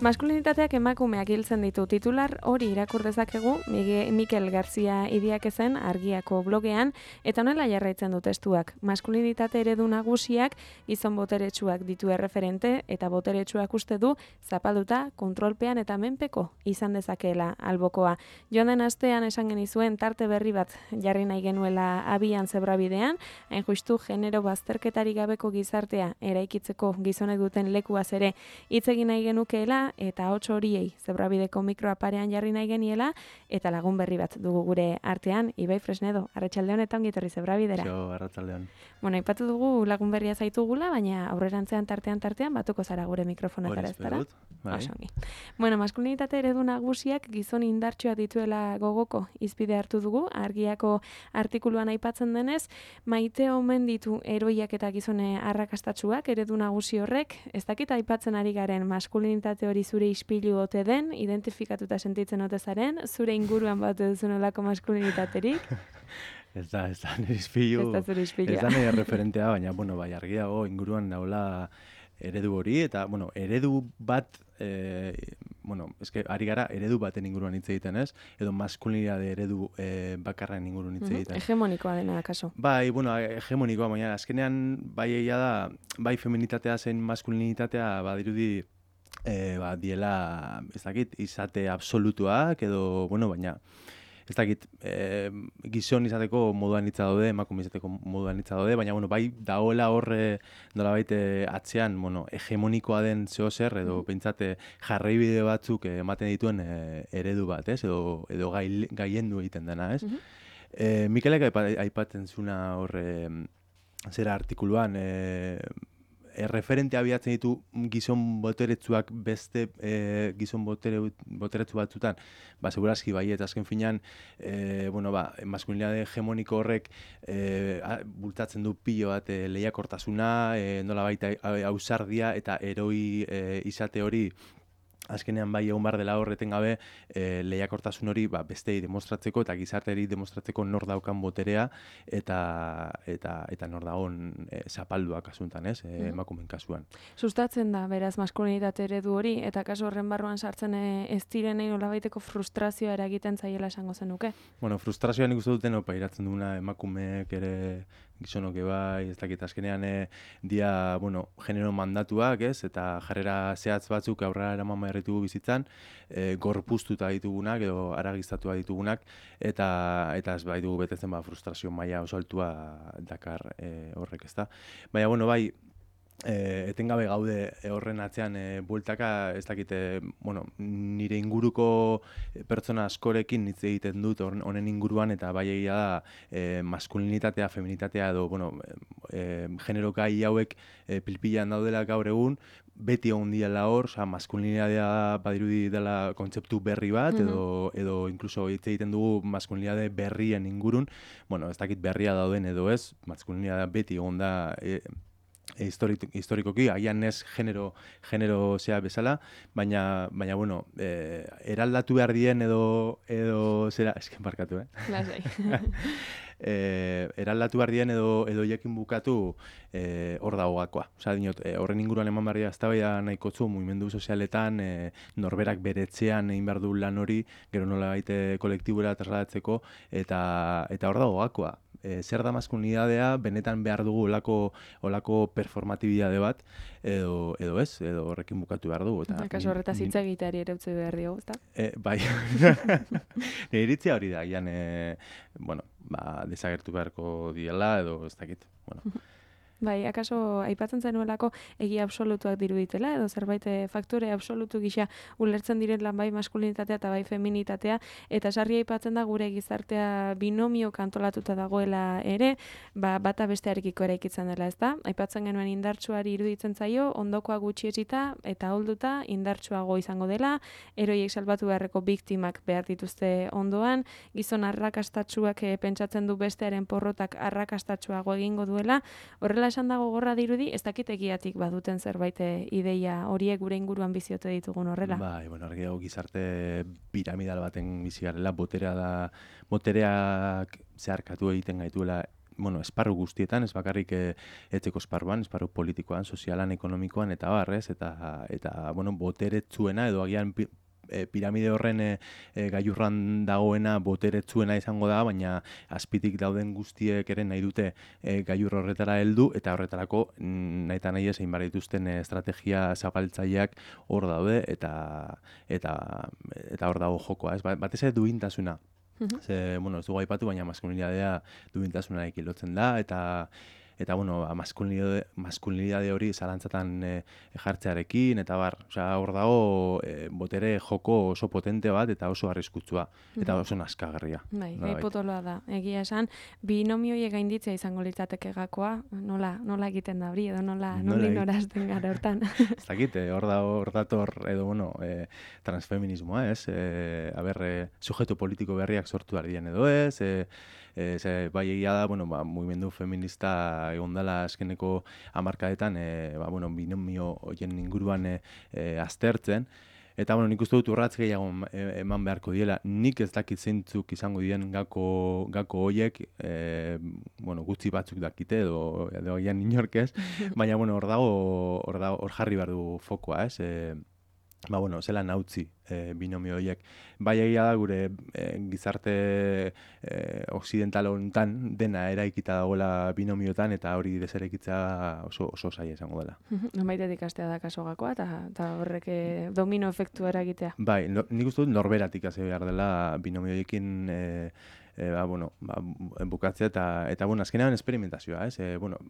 Maskulinitateak emakumeak hiltzen ditu. Titular hori irakur dezakegu Mikel Garcia Idiakezen Argiako blogean, eta honela jarraitzen du testuak. Maskulinitate eredu nagusiak gizon boteretsuak ditu erreferente, eta boteretsuak uste du zapalduta, kontrolpean eta menpeko izan dezakeela albokoa. Joan den astean esan genizuen tarte berri bat jarri nahi genuela abian zebrabidean, hain justu genero bazterketari gabeko gizartea eraikitzeko gizonek duten lekuaz ere hitz egin nahi genukeela, eta hots horiei zebrabideko mikroa parean jarri nahi geniela, eta lagun berri bat dugu gure artean, Ibai Fresnedo, arratsaldeon eta ongi etorri zebrabidera. Arratsaldeon. Bueno, aipatu dugu lagun berria zaitugula, baina aurrerantzean tartean batuko zara gure mikrofonetara, ezta? Bai. Bueno, maskulinitate eredu nagusiak gizon indartsuak dituela gogoko izpide hartu dugu, Argiako artikuluan aipatzen denez, maite omen ditu eroiak eta gizone arrakastatsuak eredu nagusi horrek, ez dakit aipatzen ari garen maskulinitate hori zure ispilu ote den, identifikatuta sentitzen ote zaren, zure inguruan bat duzun olako maskulinitaterik? Ez da nire ispilu. Ez da zure ispilua. Ez da nire referentea, baina, bai, argiago inguruan naula eredu hori, eta, eredu bat, ari gara eredu baten inguruan hitz egiten, ez? Edo maskulinitate eredu bakarren inguruan hitz egiten. Hegemonikoa dena, kaso. Bai, hegemonikoa, baina azkenean, bai egia da, bai feminitatea zen maskulinitatea, badirudi, diela, ez dakit, izate absolutuak, edo, baina, ez dakit, gizon izateko moduan hitza daude, emakume izateko moduan hitza daude, baina, bai, daoela horre nolabait atzean, hegemonikoa den zeo zer, edo pentsate jarraibide batzuk ematen dituen eredu bat, ez? Edo gaiendu egiten dena, ez? Mikelek aipatzen zuna horre zera artikuluan, referente abiatzen ditu gizon boteretsuak beste gizon boteretsu batzutan, segurazki bai, eta azken finean, maskulinitate hegemoniko horrek bultatzen du pilo bat lehiakortasuna, nolabait ausardia eta eroi izate hori, azkenean bai egon behar dela horreten gabe lehiakortasun hori bestei demostratzeko eta gizarteari demostratzeko nor daukan boterea eta nor dagoen zapalduak kasuntan, ez? Emakumeen kasuan. Sustatzen da, beraz, maskulinitate eredu hori, eta kasu horren barruan sartzen ez direnei nolabaiteko frustrazioa eragiten zaiela esango zenuke? Frustrazioa nik uste duten pairatzen duguna emakumeek ere gizonok bai, ez dakit azkenean dia, genero mandatuak, ez? Eta jarrera zehatz batzuk aurrera eraman behar ditugu bizitzan, gorpuztuta ditugunak edo aragiztatua ditugunak, eta ez bai dugu betetzen frustrazio maila oso altua dakar horrek, ezta? Baina, bai, etengabe gaude horren atzean bueltaka, ez dakite, nire inguruko pertsona askorekin hitz egiten dut honen inguruan, eta bai egia da maskulinitatea, feminitatea edo, genero gai hauek pilpilan daudela gaur egun, beti egon diela hor, maskulinitatea badirudi dela kontzeptu berri bat, edo inkluso hitz egiten dugu maskulinitate berrien ingurun, ez dakit berria dauden edo ez, maskulinitatea beti egon da historikoki, agian ez genero zea bezala, baina eraldatu behar dien edo zera, esken barkatu, Lasai. Eraldatu behar dien edo jekin bukatu hor dago gakoa. Horren inguruan eman behar dira eztabaida nahikotzu mugimendu sozialetan, norberak bere etxean egin behar du lan hori, gero nola baite kolektibura trasladatzeko, eta hor dago gakoa. Zer da maskulinitatea, benetan behar dugu olako performatibidade bat, edo ez, edo horrekin bukatu behar dugu. Kaso horretaz hitz egiteari ere utzi behar diogu, ezta? Bai, nire iritzia hori da, gian, desagertu beharko diela, edo ez dakit, Bai, akaso aipatzen zenuelako egia absolutuak diruditela, edo zerbait faktore absolutu gisa ulertzen direla bai maskulinitatea eta bai feminitatea, eta sarri aipatzen da gure gizartea binomio kantolatuta dagoela ere, bata bestearekiko eraikitzen dela, ezta? Aipatzen genuen indartsuari iruditzen zaio, ondokoa gutxietsita eta ahulduta indartsuago izango dela, eroiek salbatu beharreko biktimak behar dituzte ondoan, gizon arrakastatsuak pentsatzen du bestearen porrotak arrakastatsuago egingo duela, horrela esan dago gogorra dirudi, ez dakit egiatik baduten zerbait ideia horiek gure inguruan biziote ditugun horrela. Bai, argi gizarte piramidal baten bizi garela, botereak zeharkatu egiten gaituela esparru guztietan, ez bakarrik etxeko esparruan, esparru politikoan, sozialan, ekonomikoan, eta barrez, eta boteretsuena, edo agian piramide horren gailurran dagoena boteretsuena izango da, baina azpitik dauden guztiek ere nahi dute gailur horretara heldu, eta horretarako nahi eta nahi egin behar dituzten estrategia zabaltzaileak hor daude, eta hor dago jokoa, ez? Batez ere duintasuna. Ze, ez dugu aipatu, baina maskulinitatea duintasunarekin lotzen da, eta maskulinidade hori zalantzatan jartzearekin, eta hor dago botere joko oso potente bat, eta oso arriskutsua, eta oso naskagarria. Bai, gai potoloa da. Egia esan, binomioiek gainditzea izango litzateke gakoa, nola egiten da hori, edo nola norazten gara hortan. Ez dakit, hor dator, edo, transfeminismoa, ez? Sujeto politiko berriak sortu ardien edo ez, bai egia da, mugimendu feminista egon dela azkeneko hamarkadetan, binomio horien inguruan aztertzen, eta nik uste dut urratz gehiago eman beharko diela. Nik ez dakit zeintzuk izango dien gako horiek, gutxi batzuk dakite, edo gian inork ez, baina hor jarri behar du fokoa, ez? Zelan hautzi binomio horiek. Bai egia da gure gizarte occidental honetan dena eraikita dagoela binomioetan, eta hori deserekitza oso zaila izango dela. Nonbaitetik ikastea da kaso gakoa, eta horrek domino efektua eragitea. Bai, nik uste dut norberatik hasi behar dela binomio horiekin bukatzea, eta azkenean esperimentazioa, ez?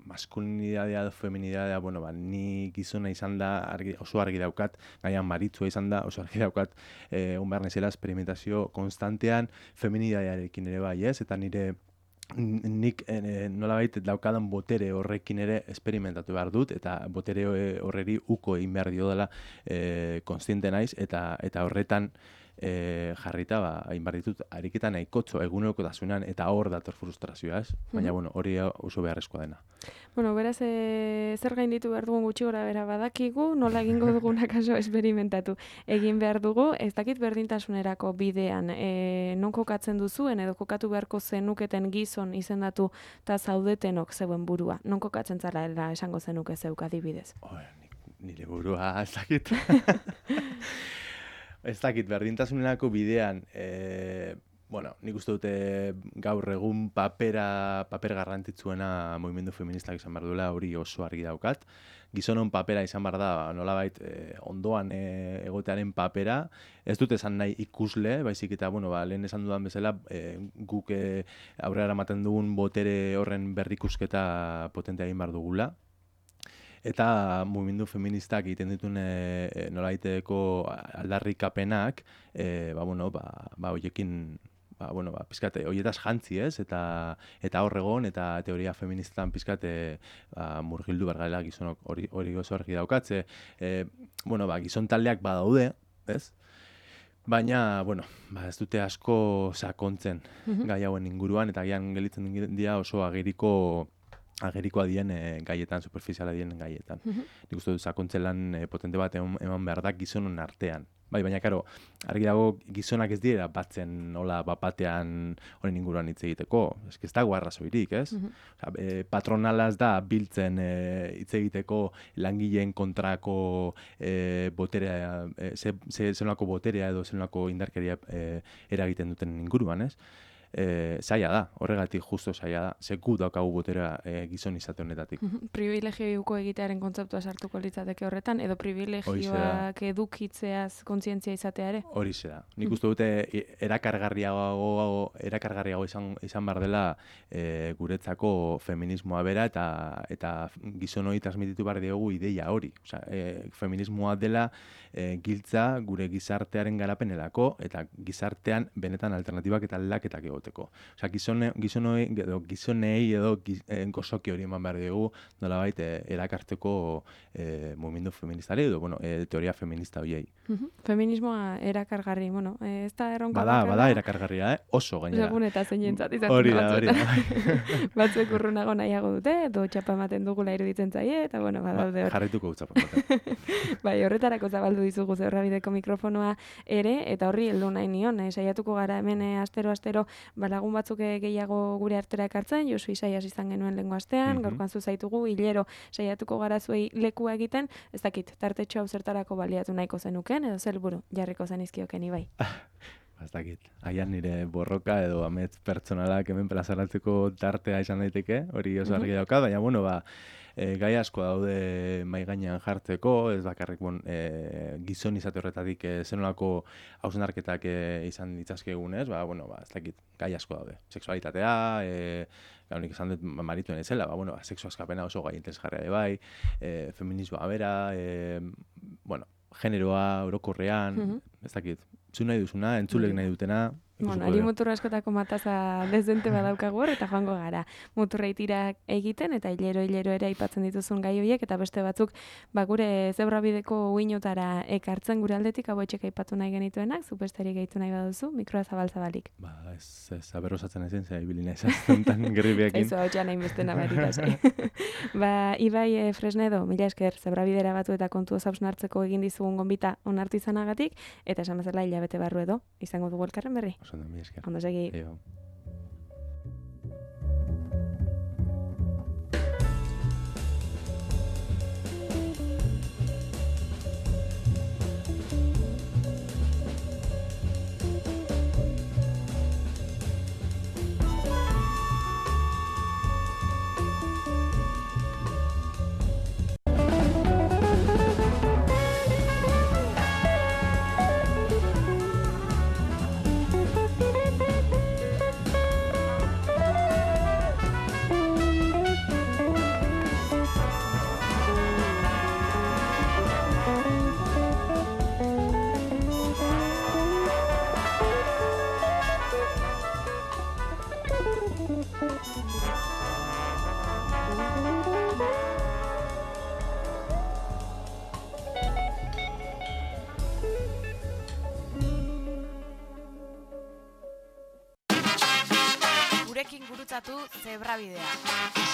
Maskulinidadea edo feminidadea, ni gizona izan da, oso argi daukat, gaian maritzua izan da, oso argi daukat, behar nezela esperimentazio konstantean, feminidadearekin ere bai, ez? Eta nik nolabait daukadan botere horrekin ere esperimentatu behar dut, eta botere horreri uko egin behar dio dela konstiente naiz, eta horretan jarrita, hain behar ditut, ariketan nahikotxo egunerokotasunean, eta hor dator frustrazioa, ez? Baina, hori oso beharrezkoa dena. Beraz, zer gainditu behar dugun gutxi gora bera badakigu, nola egingo duguna kaso esperimentatu egin behar dugu, ez dakit berdintasunerako bidean, non kokatzen duzuen, edo kokatu beharko zenuketen gizon izendatu eta zaudetenok zeuen burua, non kokatzen zara esango zenuke zeuk adibidez? Nire burua, ez dakit. Ez dakit, berdintasunerako bidean, nik uste dute gaur egun paper garrantzitsuena mugimendu feministak izan behar duela, hori oso argi daukat. Gizonon papera izan behar da, nolabait ondoan egotearen papera, ez dut esan nahi ikusle, baizik eta, lehen esan dudan bezala, guk aurrera ematen dugun botere horren berrikusketa potentea egin behar dugula. Eta mugimendu feministak egiten dituen nolaiteko aldarrikapenak, horiekin, pizkate, horietaz jantzi, ez? Eta horregon, eta teoria feministetan pizkate murgildu bergaela gizonok hori oso argi daukatze. Gizon taldeak badaude, ez? Baina, ez dute asko sakontzen gai hauen inguruan, eta gian gelitzen dira oso agerikoa dien gaietan, superficiala dien gaietan. Nik uste dut sakontze lan potente bat eman behar da gizonon artean. Baina, karo, argi dago gizonak ez dira batzen nola batean honen inguruan hitz egiteko. Ez dago arrazoirik, ez? Patronalaz da biltzen hitz egiteko langileen kontrako boterea, zelako boterea edo zelako indarkeria eragiten duten inguruan, ez? Zaila da, horregatik justo zaila da, seku daukagu botera gizon izate honetatik. Privilegioiko egitearen kontzeptua sartuko litzateke horretan, edo privilegioak edukitzeaz kontzientzia izatea ere? Horixe da. Nik uste dute erakargarriago izan behar dela guretzako feminismoa bera, eta gizon hori transmititu behar diogu ideia hori. Feminismoa dela giltza gure gizartearen garapenelako, eta gizartean benetan alternatibak eta aldaketak egoteko. Gizonei edo gozoki hori eman behar dugu nolabait erakartzeko mugimendu feministari edo teoria feminista horiei. Feminismoa erakargarri, ez da erronka bada erakargarria, oso gainera. Segun eta zeinentzat izaten hori da. Batzuek urrunago nahiago dute, edo txapa ematen dugula iruditzen zaie, eta badaude hor. Jarrituko txapa ematen. Bai, horretarako zabaldu dizugu Zeurrabideko mikrofonoa ere, eta horri heldu nahi nion, saiatuko gara hemen astero lagun batzuk gehiago gure artera ekartzen, Josu Isaias izan genuen lehengo astean, gaurkoan zu zaitugu, hilero saiatuko gara zuei lekua egiten, ez dakit, tartetxo hau zertarako baliatu nahiko zenuken, edo zelburu jarriko zenizkioken Ibai. Ez dakit, aian nire borroka edo amets pertsonalak hemen plazaratzeko tartea izan daiteke, hori oso argi daukat, baina, bueno, gai asko daude mai gainean jartzeko, ez bakarrik gizon izate horretatik zenolako hausnarketak izan ditzazkegun, ez? Ez dakit, gai asko daude. Sexualitatea, nik esan dut marituen ezela, sexu askapena oso gai interesgarria bai, feminismoa bera, generoa, orokorrean, ez dakit, zu nahi duzuna, entzulek nahi dutena. Ari muturra askotako mataza dezente badaukagu hor, eta joango gara. Muturra itira egiten, eta hilero ere aipatzen dituzun gai horiek, eta beste batzuk, gure zebrabideko uinotara ekartzen gure aldetik, hau etxek aipatu nahi genituenak, zupestari gehitu nahi baduzu, mikroa zabalik. Ez aberrosatzen ezen, zera ibili nahi zaztontan gerribiakin. Eizu hau txan hainbeste nabarik, Ibai Fresnedo, mila esker, zebrabidera batu eta kontu hausnartzeko egin dizugun gonbita onartu izanagatik, eta esan bezala hilabete barru edo, izango dugu elkarren berri. Ondo segi. Gurekin gurutzatu zebrabidea.